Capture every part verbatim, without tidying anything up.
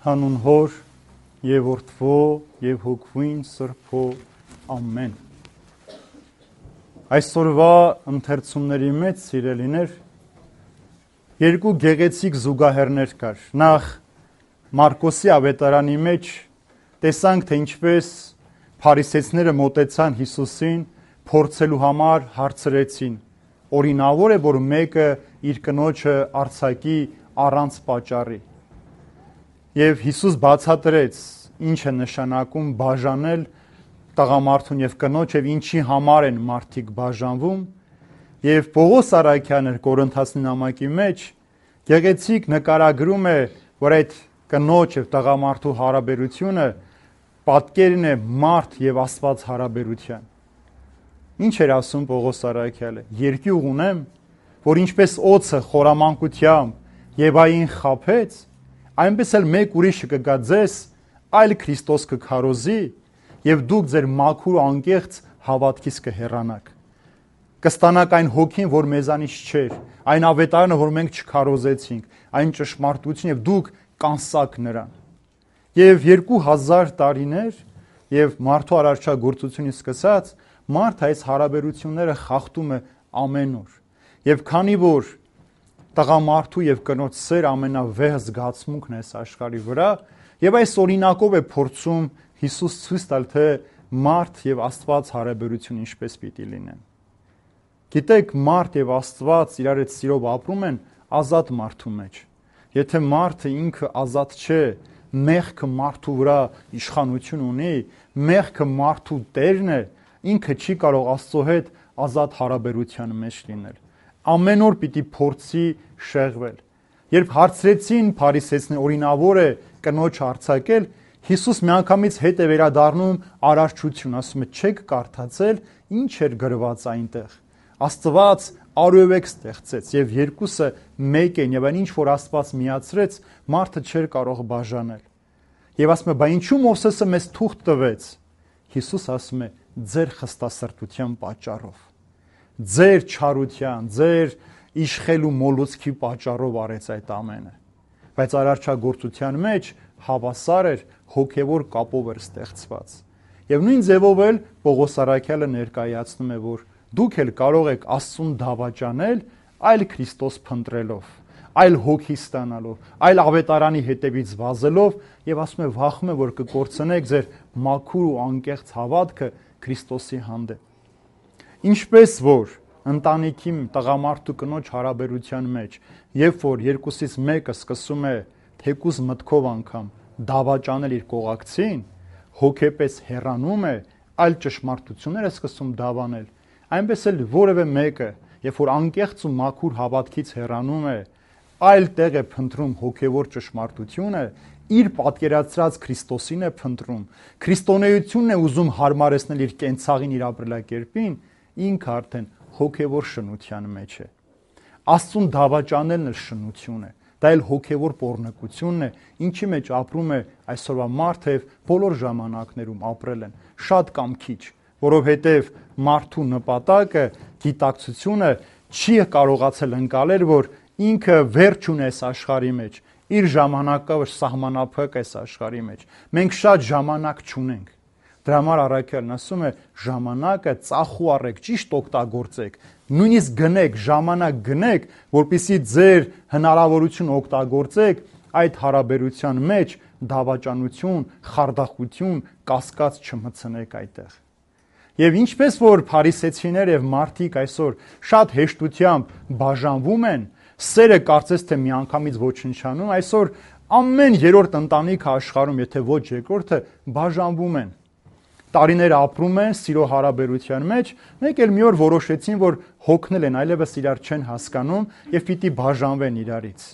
Հանուն Հոր եւ Որդվո եւ Հոգվին Սրբո ամեն։ Այսօրվա ընթերցումների մեջ սիրելիներ երկու գեղեցիկ զուգահեռներ կար։ Նախ Մարկոսի ավետարանի մեջ տեսանք, թե ինչպես փարիսեցիները մոտեցան Հիսուսին փորձելու համար հարցրեցին. օրինավոր է, որ մեկը իր կնոջը արձակի առանց պատճառի։ Եվ Հիսուս բացատրեց ինչ է նշանակում բաժանել տղամարդուն եւ կնոջ եւ ինչի համար են մարդիկ բաժանվում։ Եվ Պողոս Արաքյանը Կորինթացի նամակի մեջ գեղեցիկ նկարագրում է, որ այդ կնոջ եւ տղամարդու հարաբերությունը պատկերն է մարդ եւ Աստված հարաբերության։ Ինչ էր ասում Պողոս Արաքյալը. երկյուղ ունեմ, որ ինչպես օձը խորամանկությամբ եւ այն խափեց, այնպես էլ մեկ ուրիշը կգա ձեզ, այլ Քրիստոս կքարոզի, եւ դուք ձեր մաքուր անկեղծ հավատքից կհեռանաք։ Կստանաք այն հոգին, որ մեզանից չէր, այն ավետարանը, որ մենք չքարոզեցինք, այն ճշմարտություն, եւ դուք կանսաք նրան։ Եվ երկու հազար տարիներ եւ մարդու արարչագործությունից սկսած մարդ այս հարաբերությունները խախտում է ամեն օր։ Եվ քանի որ տղամարդու եւ կնոջ սեր ամենավեհ զգացմունքն է այս աշխարհի վրա, եւ այս օրինակով է փորձում Հիսուս ցույց տալ, թե մարդ եւ Աստված հարաբերություն ինչպես պիտի լինեն։ Գիտեք, մարդ եւ Աստված իրար հետ սիրով ապրում են ազատ մարդու մեջ։ Եթե մարդը ինքը ազատ չէ, մեղքը մարդու վրա իշխանություն ունի, մեղքը մարդու տերն է, ինքը չի կարող Աստծո հետ ազատ հարաբերության մեջ լինել։ Ամեն օր պիտի փորձի շեղվել։ Երբ հարցրեցին փարիսեցիներին օրինավոր է կնոջ արձակել, Հիսուս միանգամից հետ է վերադառնում արարչություն, ասում է՝ չեք կարդացել ինչ էր գրված այնտեղ։ Աստված արևեք ստեղծեց եւ երկուսը մեկ են, եւ այն ինչ որ Աստված միացրեց, մարդը չէր կարող բաժանել։ Եվ ասում է՝ բա ինչու Մովսեսը մեզ թուղթ տվեց։ Հիսուս ասում է՝ ձեր խստասրտության պատճառով, ձեր չարության, ձեր իշխելու մոլուցքի պատճառով արեց այդ ամենը։ Բայց արարչագործության մեջ հավասար էր, հոգևոր կապով էր ստեղծված։ Եվ նույն ձևով էլ Պողոս Արաքյալը ներկայացնում է, որ դուք էլ կարող եք Աստծուն դավաճանել այլ Քրիստոս փնտրելով, այլ հոգի ստանալով, այլ ավետարանի հետևից վազելով, եւ ասում է վախում է, որ կկորցնեք ձեր մաքուր ու անկեղծ հավատքը Քրիստոսի հանդեպ։ Ինչպես որ ընտանիքի տղամարդու կնոջ հարաբերության մեջ, երբ որ երկուսից մեկը սկսում է թեկուզ մտքով անգամ դավաճանել իր կողակցին, հոգեպես հեռանում է, այլ ճշմարտություններ է սկսում դավանել, այնպես էլ որևէ մեկը, երբ որ անկեղծ ու մաքուր հավատքից հեռանում է, այլ տեղ է փնտրում հոգևոր ճշմարտությունը, իր պատկերացրած Քրիստոսին է փնտրում, քրիստոնեությունն է ուզում հարմարեցնել իր կենցաղին, իր ապրելակերպին, ինքը արդեն հոգևոր շնության մեջ է։ Աստծուն դավաճանելն էլ շնություն է, դա էլ հոգևոր պոռնկությունն է, ինչի մեջ ապրում է այսօրվա մարդը եւ բոլոր ժամանակներում ապրել են, շատ կամ քիչ, որովհետեւ մարդու նպատակը, գիտակցությունը չի կարողացել ընկալել, որ ինքը վերջ ունի այս աշխարհի մեջ, իր ժամանակը սահմանափակ է այս աշխարհի մեջ։ Մենք շատ ժամանակ չունենք։ Դրա համար Առաքյալն ասում է՝ ժամանակը ծախու առեք, ճիշտ օգտագործեք, նույնիսկ գնեք, ժամանակ գնեք, որպեսզի ձեր հնարավորություն օգտագործեք այդ հարաբերության մեջ դավաճանություն, խարդախություն, կասկած չմտցնեք այդտեղ։ Եվ ինչպես որ փարիսեցիներ եւ մարդիկ այսօր շատ հեշտությամբ բաժանվում են, սերը կարծես թե միանգամից ոչնչանում, այսօր ամեն երրորդ ընտանիքը աշխարհում, եթե ոչ երկրորդը, բաժանվում են։ Տարիներ ապրում են սիրո հարաբերության մեջ, մեկ էլ մի օր որոշեցին, որ հոգնել են, այլևս իրար չեն հասկանում եւ պիտի բաժանվեն իրարից։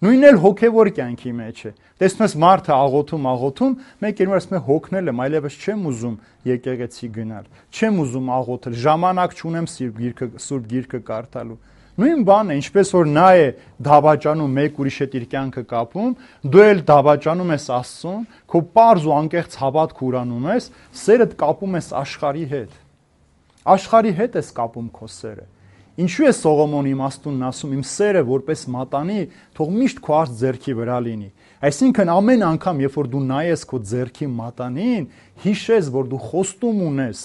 Նույնն էլ հոգևոր կյանքի մեջ է։ Տեսնում ես մարդը աղոթում, աղոթում, մեկ էլ ասում է հոգնել եմ, այլևս չեմ ուզում եկեղեցի գնալ, չեմ ուզում աղոթել, ժամանակ չունեմ Սուրբ Գիրքը, Սուրբ Գիրքը կարդալու։ Նույն բանն է, ինչպես որ նա է դավաճանում մեկ ուրիշ հետ իր կյանքը կապում, դու էլ դավաճանում ես Աստծուն, քո պարզ ու անկեղծ հավատք ուրանում ես, սերդ կապում ես աշխարհի հետ։ Աշխարհի հետ ես կապում քո սերը։ Ինչու է Սողոմոնի իմաստունն ասում իմ սերը որպես մատանի թող միշտ քո արդ ձեռքի վրա լինի։ Այսինքն ամեն անգամ, երբ որ դու նայես քո ձեռքի մատանին, հիշես, որ դու խոստում ունես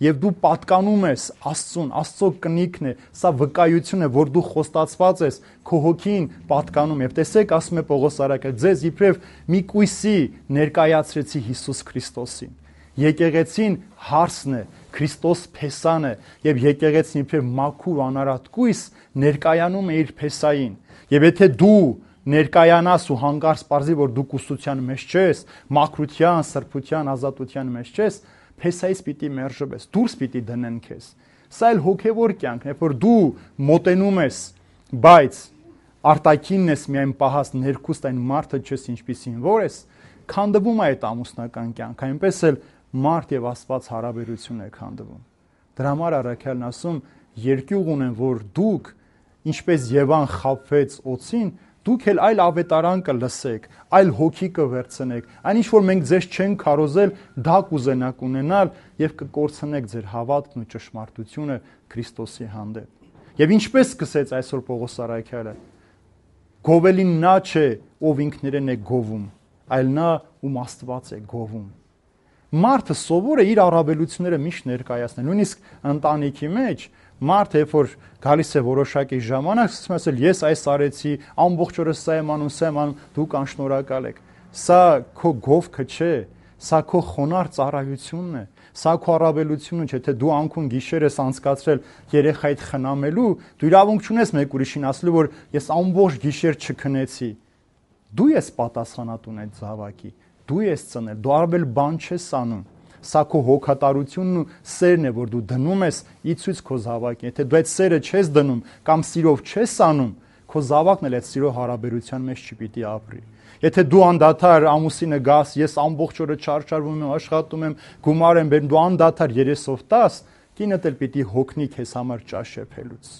եւ դու պատկանում ես Աստծուն, Աստծո կնիքն է, սա վկայություն է, որ դու խոստացված ես, քո հոգին պատկանում եւ տեսեք, ասում է Պողոս արաքել, ձեզ իբրև մի կույսի ներկայացրեցի Հիսուս Քրիստոսին։ Եկեղեցին հարսն է, Քրիստոս փեսան է եւ եկեղեցին իբրև մաքուր անարատ կույս ներկայանում է իր փեսային։ Եվ եթե դու ներկայանաս ու հանկարծ պարզի, որ դու կուսության մեջ չես, մաքրության, սրբության, ազատության մեջ չես, փեսայից պիտի մերժվես, դուրս պիտի դնեն քեզ։ Սա էլ հոգևոր կյանքն է, որ դու մոտենում ես, բայց արտաքինն ես միայն պահած, ներքուստ այն մարդը չես ինչպիսին որ ես, քանդվում է այդ ամուսնական կյանքը, այնպես էլ մարդ եւ Աստված հարաբերություն է քանդվում։ Դրա համար առաքյալն ասում, երկյուղ ունեն, որ դուք ինչպես Եվան խաբվեց օծին, դուք էլ այլ ավետարան կլսեք, այլ հոգի կվերցնեք, այն ինչ որ մենք ձեզ չենք քարոզել, դա կուզենաք ունենալ եւ կկորցնեք ձեր հավատքն ու ճշմարտությունը Քրիստոսի հանդեպ։ Եվ ինչպես սկսեց այսօր Պողոս առաքյալը, գովելին նա չէ, ով ինքներեն է գովում, այլ նա, ում Աստված է գովում։ Մարդը սովոր է իր առավելությունները միշտ ներկայացնել, նույնիսկ ընտանիքի մեջ մարդը, երբ որ գալիս է որոշակի ժամանակ, սկսում է ասել, ես այս արեցի, ամբողջ օրը սա եմ անում, սա եմ անում, դուք անշնորհակալ եք։ Սա քո գովքը չէ, սա քո խոնարհ ծառայությունն է, սա քո առավելությունը չէ, թե դու անքուն գիշեր ես անցկացրել երեխայիդ խնամելու, դու իրավունք չունես մեկ ուրիշին ասելու, որ ես ամբողջ գիշեր չքնեցի։ Դու ես պատասխանատուն այդ զավակի, դու ես ծնել, դու արվել բան չես անում։ Սա քո հոգատարությունն ու սերն է, որ դու դնում ես ի ցույց քո զավակին։ Եթե դու այդ սերը չես դնում կամ սիրով չես անում, քո զավակն էլ այդ սիրո հարաբերության մեջ չպիտի ապրի։ Եթե դու անդադար ամուսինը գաս, ես ամբողջ օրը չարչարվում եմ, աշխատում եմ, գումար եմ բերում, դու անդադար երեսով տաս, կինդ էլ պիտի հոգնի քեզ համար ճաշեփելուց։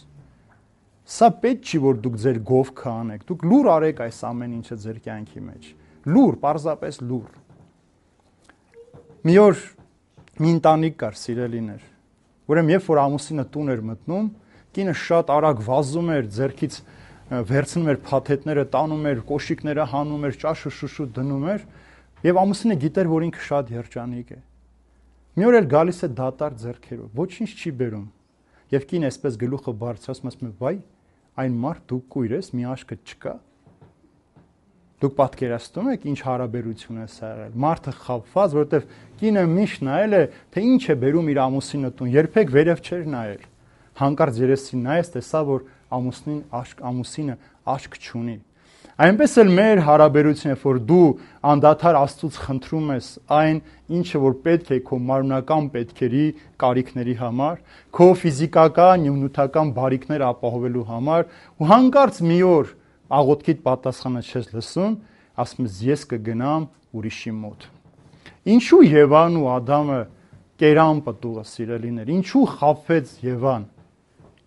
Սա պետք չի, որ դուք ձեր գովքը անեք։ Դուք լուր արեք այս ամեն ինչը ձեր կյանքի մեջ։ Լուր, պարզապես լուր։ Մի օր մի ընտանիք կար, սիրելիներ, ուրեմն երբ որ ամուսինը տուն էր մտնում, կինը շատ արագ վազում էր, ձեռքից վերցնում էր փաթեթները, տանում էր, կոշիկները հանում էր, ճաշը շուշուտ դնում էր, եւ ամուսինը գիտեր, որ ինքը շատ երջանիկ է։ Մի օր էլ գալիս է դատարկ ձեռքերով, ոչինչ չի բերում։ Եվ կինը այսպես գլուխը բարձրացնում ասում է, վայ, այն մարդ դու կույր ես, մի աշկը չկա։ Դուք պատկերացնում եք ինչ հարաբերություն է սա եղել։ Մարդը խաբված, որովհետև կինը միշտ նայել է, թե ինչ է բերում իր ամուսինը տուն, երբեք վերև չէր նայել։ Հանկարծ երեսին նայեց, տեսա, որ ամուսնին աշկ, ամուսինը աշկ չունի։ Այնպես էլ մեր հարաբերությունը, որ դու անդադար Աստծուց խնդրում ես այն, ինչը որ պետք է քո մարմնական պետքերի, կարիքների համար, քո ֆիզիկական, նյութական բարիքները ապահովելու համար, ու հանկարծ մի օր աղոթքիդ պատասխանը չես լսում, ասում ես ես կգնամ ուրիշի մոտ։ Ինչու Եվան ու Ադամը կերան պտուղը, սիրելիներ, ինչու խաբվեց Եվան։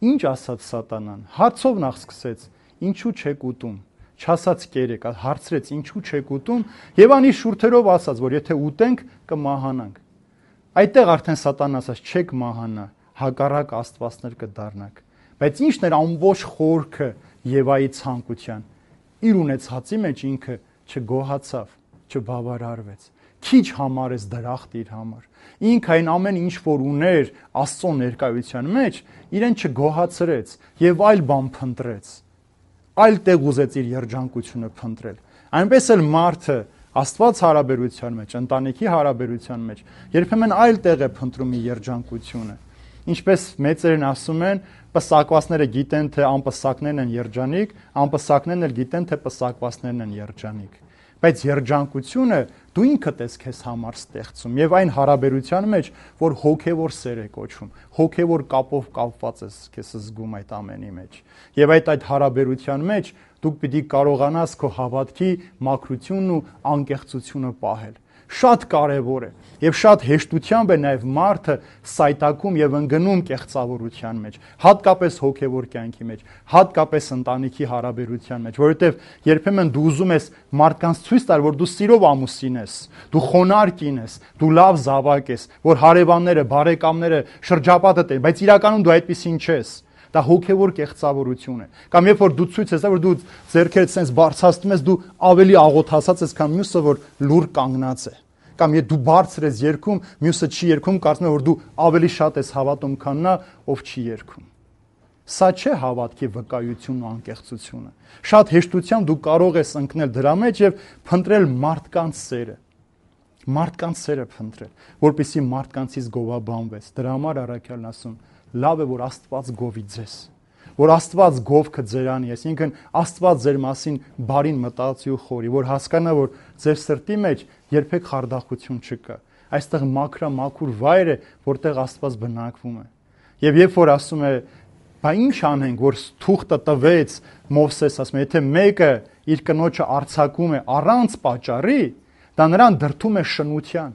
Ինչ ասաց Սատանան։ Հարցով նախ սկսեց, ինչու չեք ուտում։ Չասաց կերեք, հարցրեց ինչու չեք ուտում, Եվանի շուրթերով ասաց, որ եթե ուտենք կմահանանք։ Այդտեղ արդեն Սատանան ասաց, չեք մահանա, հակառակ աստվածներ կդառնաք։ Բայց ի՞նչն էր ամբողջ խորքը Եվայի ցանկության։ Իր ունեցածի մեջ ինքը չգոհացավ, չբավարարվեց։ Քիչ համարեց դրախտ իր համար։ Ինքը այն ամեն ինչ որ ուներ Աստծո ներկայության մեջ, իրեն չգոհացրեց եւ այլ բան փնտրեց։ Այլ տեղ ուզեց իր երջանկությունը փնտրել։ Այնպես էլ մարդը Աստված հարաբերության մեջ, ընտանիքի հարաբերության մեջ երբեմն այլ տեղ է փնտրում իր երջանկությունը։ Ինչպես մեծերն ասում են, պսակվածները գիտեն, թե անպսակներն են երջանիկ, անպսակներն էլ գիտեն, թե պսակվածներն են երջանիկ։ Բայց երջանկությունը դու ինքդ ես քեզ համար ստեղծում եւ այն հարաբերության մեջ, որ հոգեվոր սեր է կոչվում, հոգեվոր կապով կապված ես քեզ զգում այդ ամենի մեջ։ Եվ այդ այդ հարաբերության մեջ դուք պիտի կարողանաս քո հավատքի մաքրությունն ու անկեղծությունը պահել։ Շատ կարևոր է եւ շատ հեշտությամբ է նաեւ մարդը սայտակում եւ ընկնում կեղծավորության մեջ, հատկապես հոգեվոր կյանքի մեջ, հատկապես ընտանիքի հարաբերության մեջ, որովհետեւ երբեմն դու ուզում ես մարդկանց ցույց տալ, որ դու սիրով ամուսին ես, դու խոնարհ կին ես, դու լավ զավակ ես, որ հարևանները, բարեկամները շրջապատդ են, բայց իրականում դու այդպեսին չես։ Դա հոգևոր կեղծավորություն է։ Կամ երբ որ դու ցույց ես, որ դու ձեռքերդ sense բարձրացնում ես, դու ավելի աղոթացած ես, քան մյուսը, որ լուր կանգնած է։ Կամ եթե դու բարձր ես երգում, մյուսը չի երգում, կարծում ես, որ դու ավելի շատ ես հավատում, քան նա, ով չի երգում։ Սա չէ հավատքի վկայությունն ու անկեղծությունը։ Շատ հեշտությամբ դու կարող ես ընկնել դրա մեջ եւ փնտրել մարդկանց սերը։ Մարդկանց սերը փնտրել, որպեսզի մարդկանցից գովաբանվես։ Դրա համար առաքյալն ասում, լավ է, որ Աստված գովի ձեզ, որ Աստված գովքը ձերանի, այսինքն Աստված ձեր մասին բարին մտածի ու խորի, որ հասկանա, որ ձեր սրտի մեջ երբեք խարդախություն չկա։ Այստեղ մաքրամաքուր վայր է, որտեղ Աստված բնակվում է։ Եվ երբ որ ասում է, բա ինչ անենք, որ թուղթը տվեց Մովսես, ասում է, եթե մեկը իր կնոջը արձակում է առանց պատճառի, դա նրան դրդում է շնության,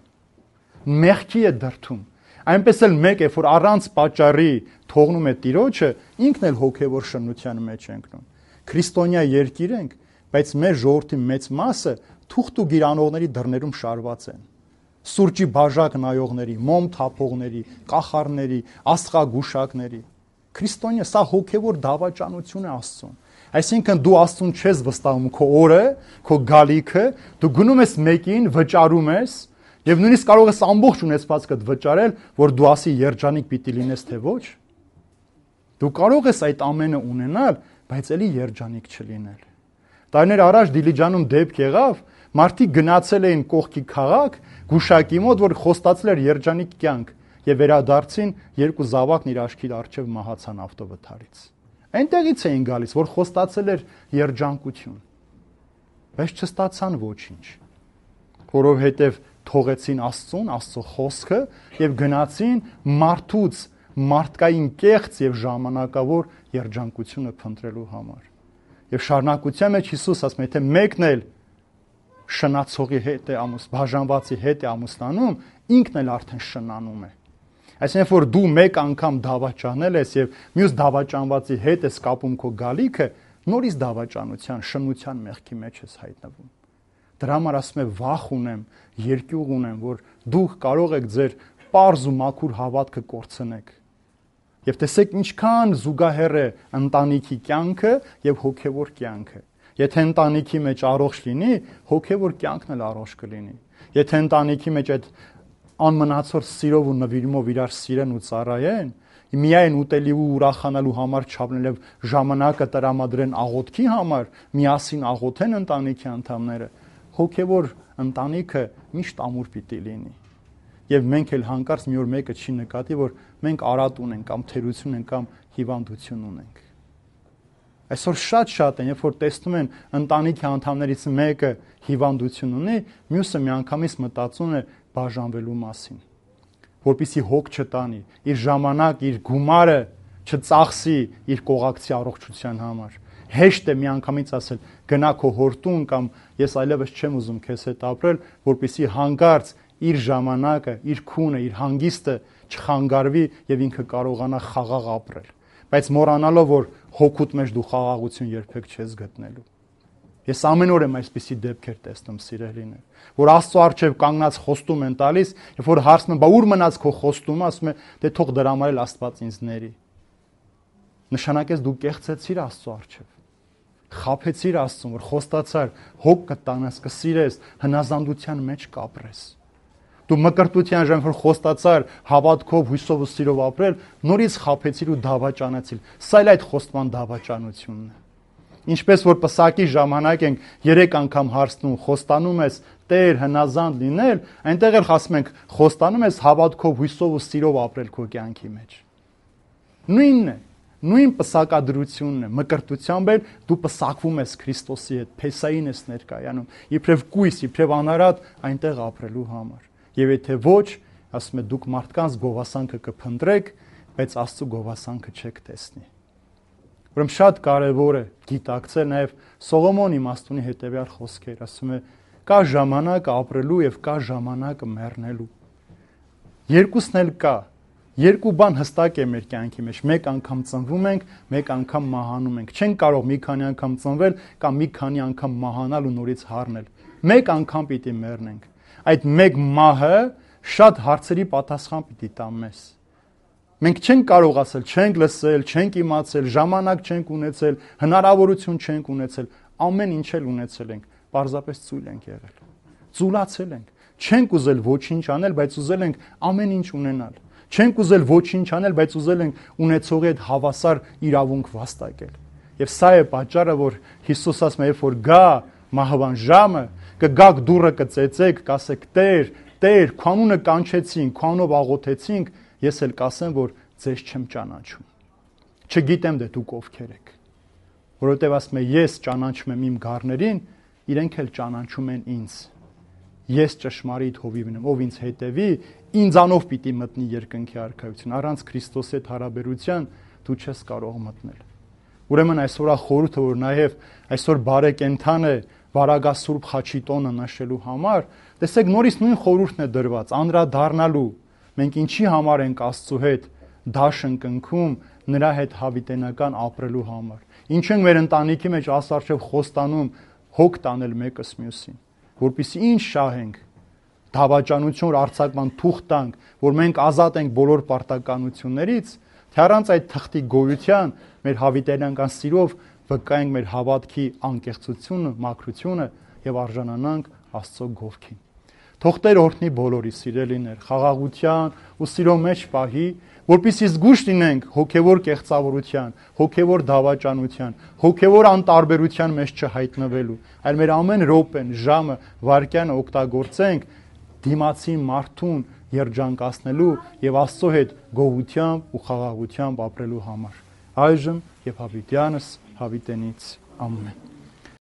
մեղքի է դրդում։ Այնպես էլ մեկ է, որ առանց պատճառի թողնում է տիրոջը, ինքն էլ հոգևոր շնության մեջ է ընկնում։ Քրիստոնյա երկիր ենք, բայց մեր ժողովրդի մեծ մասը թուղթ ու գիրանողների դռներում շարված են։ Սուրճի բաժակ նայողների, մոմ թափողների, կախարների, աստղագուշակների։ Քրիստոնյա սա հոգևոր դավաճանություն է Աստծուն։ Այսինքն դու Աստծուն չես վստահում քո օրը, քո գալիքը, դու գնում ես մեկին, վճարում ես, եւ նույնիսկ կարող ես ամբողջ ունեցվածքդ վճարել, որ դու ասի երջանիկ պիտի լինես թե ոչ։ Դու կարող ես այդ ամենը ունենալ, բայց ելի երջանիկ չլինել։ Տարիներ առաջ Դիլիջանում դեպք եղավ, մարդիկ գնացել էին կողքի քաղաք, գուշակի մոտ, որ խոստացել էր երջանիկ կյանք, եւ վերադարձին երկու զավակն իր աչքի առջև մահացան ավտովթարից։ Այնտեղից էին գալիս, որ խոստացել էր երջանկություն, բայց չստացան ոչինչ, որովհետև թողեցին Աստծուն, Աստծո խոսքը եւ գնացին մարդուց մարդկային կեղծ եւ ժամանակավոր երջանկությունը փնտրելու համար։ Եվ շարունակության մեջ Հիսուս ասում է, եթե մեկն էլ շնացողի հետ է ամուս, բաժանվածի հետ է ամուսնանում, ինքն էլ արդեն շնանում է։ Այսինքն, որ դու մեկ անգամ դավաճանել ես եւ մյուս դավաճանվածի հետ ես կապում քո գալիքը, նորից դավաճանության, շնության մեղքի մեջ ես հայտնվում։ Դրա համար ասում է վախ ունեմ, երկյուղ ունեմ, որ դուք կարող եք ձեր պարզ ու մաքուր հավատքը կորցնեք։ Եվ տեսեք ինչքան զուգահեռ է ընտանիքի կյանքը եւ հոգեվոր կյանքը։ Եթե ընտանիքի մեջ առողջ լինի, հոգեվոր կյանքն էլ առողջ կլինի։ Եթե ընտանիքի մեջ այդ անմնացող սիրով ու նվիրումով իրար սիրեն ու ծառայեն, միայն ուտելի ու ուրախանալու համար չափնել եւ ժամանակը տրամադրեն աղոթքի համար, միասին աղոթեն ընտանիքի անդամները, հոգեվոր ընտանիքը միշտ ամուր պիտի լինի։ Եվ մենք էլ հանկարծ մի օր մեկը չի նկատի, որ մենք արատ ունենք կամ թերություն ենք կամ հիվանդություն ունենք։ Այսօր շատ-շատ են, երբ որ տեսնում են ընտանիքի անդամներից մեկը հիվանդություն ունի, մյուսը միանգամից մտածում է բաժանվելու մասին, որպեսզի հոգ չտանի, իր ժամանակ, իր գումարը չծախսի իր կողակցի առողջության համար։ Հեշտ է միանգամից ասել գնա քո հորտուն կամ ես այլևս չեմ ուզում քեզ հետ ապրել, որպեսզի հանկարծ իր ժամանակը, իր քունը, իր հանգիստը չխանգարվի եւ ինքը կարողանա խաղաղ ապրել, բայց մոռանալով, որ հոգուտ մեջ դու խաղաղություն երբեք չես գտնելու։ Ես ամեն օր եմ այսպիսի դեպքեր տեսնում, սիրելիներ, որ Աստծո առջև կանգնած խոստում են տալիս, երբ որ հարցնում, բա ուր մնաց քո խոստումը, ասում է, դե թող դրա համար էլ Աստված ինձ ների։ Նշանակես դու կեղծեցիր Աստծո առջև, խաբեցիր Աստծուն, որ խոստացար, հոգ կտանաս, կսիրես, հնազանդության մեջ կապրես։ Դու մկրտության ժամանակ որ խոստացար հավատքով, հույսով ու սիրով ապրել, նորից խաբեցիր ու դավաճանեցիր։ Սա էլ այդ խոստման դավաճանությունն է։ Ինչպես որ պսակի ժամանակ ենք երեք անգամ հարցնում, խոստանում ես Տեր հնազանդ լինել, այնտեղ էլ ասում ենք խոստանում ես հավատքով, հույսով ու սիրով ապրել քո կյանքի մեջ։ Նույնն է, նույն պսակադրությունն է, մկրտությամբ էլ դու պսակվում ես Քրիստոսի հետ, Փեսային ես ներկայանում, իբրև կույս, իբրև անարատ այնտեղ ապրելու համար։ Եվ եթե ոչ, ասում է դուք մարդկանց գովասանքը կփնտրեք, բայց Աստծո գովասանքը չեք տեսնի։ Ուրեմն շատ կարևոր է գիտակցել նաև Սողոմոն իմաստունի հետևյալ խոսքեր, ասում է կա ժամանակ ապրելու եւ կա ժամանակ մեռնելու։ Երկուսն էլ կա։ Երկու բան հստակ է մեր կյանքի մեջ։ Մեկ անգամ ծնվում ենք, մեկ անգամ մահանում ենք։ Չենք կարող մի քանի անգամ ծնվել կամ մի քանի անգամ մահանալ ու նորից հառնել։ Մեկ անգամ պիտի մեռնենք։ Այդ մեկ մահը շատ հարցերի պատասխան պիտի տա մեզ։ Մենք չենք կարող ասել, չենք լսել, չենք իմացել, ժամանակ չենք ունեցել, հնարավորություն չենք ունեցել, ամեն ինչ էլ ունեցել ենք, պարզապես ծույլ ենք եղել։ Ծուլացել ենք։ Չենք ուզել ոչինչ անել, բայց ուզել ենք ամեն ինչ ունենալ։ Չենք ուզել ոչինչ անել, բայց ուզել ենք ունեցողի հետ հավասար իրավունք վաստակել։ Եվ սա է պատճառը, որ Հիսուս ասում է, երբ որ գա մահվան ժամը, կգաք դուռը կծեծեք, կասեք Տեր, Տեր, քո անունը կանչեցինք, քո անունով աղոթեցինք, ես էլ կասեմ, որ ձեզ չեմ ճանաչում։ Չգիտեմ դե դուք ովքեր եք։ Որովհետև ասում է, ես ճանաչում եմ իմ գառներին, իրենք էլ ճանաչում են ինձ։ Ես ճշմարիտ հովիվն եմ, ով ինձ հետևի, ինձանով պիտի մտնի երկնքի արքայություն։ Առանց Քրիստոսի հետ հարաբերության դու չես կարող մտնել։ Ուրեմն այսօր խորհուրդը, որ նաև այսօր բարեկենդան է Վարագասուրբ խաչի տոնը նշելու համար, տեսեք նորից նույն խորհուրդն է դրված, անդրադառնալու։ Մենք ինչի համար ենք Աստծո հետ դաշն կնքում, նրա հետ հավիտենական ապրելու համար։ Ինչ ենք մեր ընտանիքի մեջ ասարչև խոստանում հոգ տանել մեկս մյուսին, որպեսզի ինչ շահենք, դավաճանություն, արձակման թուղթ տանք, որ մենք ազատ ենք բոլոր պարտականություններից, թե առանց այդ թղթի գոյության մեր հավիտենական սիրով վկայենք մեր հավատքի անկեղծությունը, մաքրությունը եւ արժանանանք Աստծո գովքին։ Թող Տեր օրհնի բոլորի սիրելիներ, խաղաղության ու սիրո մեջ պահի, որպեսզի զգուշ լինենք հոգևոր կեղծավորության, հոգևոր դավաճանության, հոգևոր անտարբերության մեջ չհայտնվելու, այլ մեր ամեն րոպեն, ժամը, վայրկյանը օգտագործենք դիմացի մարդուն երջանկացնելու եւ Աստծո հետ գոհությամբ ու խաղաղությամբ ապրելու համար։ Այժմ եւ հավիտյանս հավիտենից ամեն։